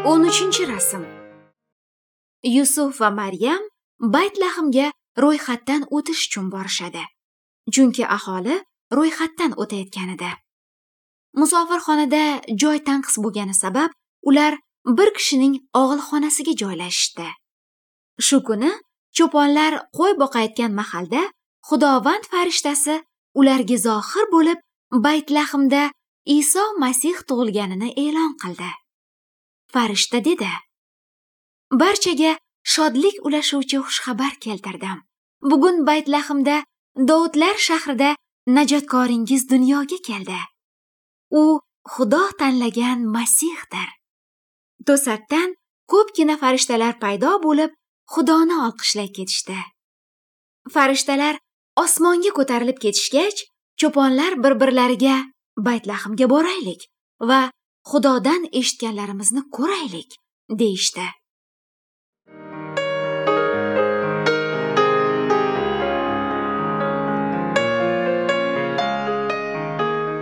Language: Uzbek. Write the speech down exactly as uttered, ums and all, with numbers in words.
O'n uchinchi rasm. Yusuf va Maryam Baytlahimga ro'yxatdan o'tish uchun borishadi. Chunki aholi ro'yxatdan o'tayotgan edi. Musofirxonada joy tanqis bo'lgani sabab ular bir kishining og'ilxonasiga joylashishdi. Shu kuni cho'ponlar qo'y boqayotgan mahalda Xudovand farishtasi ularga zohir bo'lib, Baytlahimda Iso Masih tug'ilganini e'lon qildi. Farishta dedi: "Barchaga shodlik ulashuvchi xushxabar keltirdim. Bugun Baytlahimda, Dovudlar shahrida najotkoringiz dunyoga keldi. U Xudo tanlagan Masihdir." To'satdan ko'pgina farishtalar paydo bo'lib, Xudoni olqishlay ketishdi. Farishtalar osmonga ko'tarilib ketishgach, cho'ponlar bir-birlariga Baytlahimga boraylik va Xudodan eshitganlarimizni ko'raylik, deyishdi.